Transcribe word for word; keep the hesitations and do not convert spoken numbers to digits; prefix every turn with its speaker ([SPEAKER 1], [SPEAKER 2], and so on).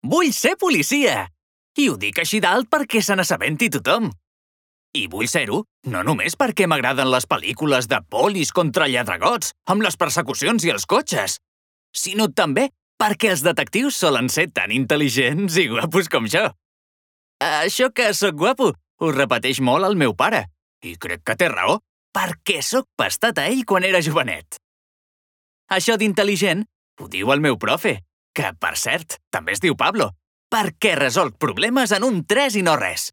[SPEAKER 1] Vull ser policia! I ho dic així d'alt perquè se n'assabenti tothom. I vull ser-ho no només perquè m'agraden les pel·lícules de polis contra lladregots, amb les persecucions i els cotxes, sinó també perquè els detectius solen ser tan intel·ligents i guapos com jo. Això que sóc guapo ho repeteix molt el meu pare, i crec que té raó, perquè sóc pastat a ell quan era jovenet. Això d'intel·ligent ho diu el meu profe, que, per cert, també es diu Pablo, perquè resolc problemes en un tres i no res.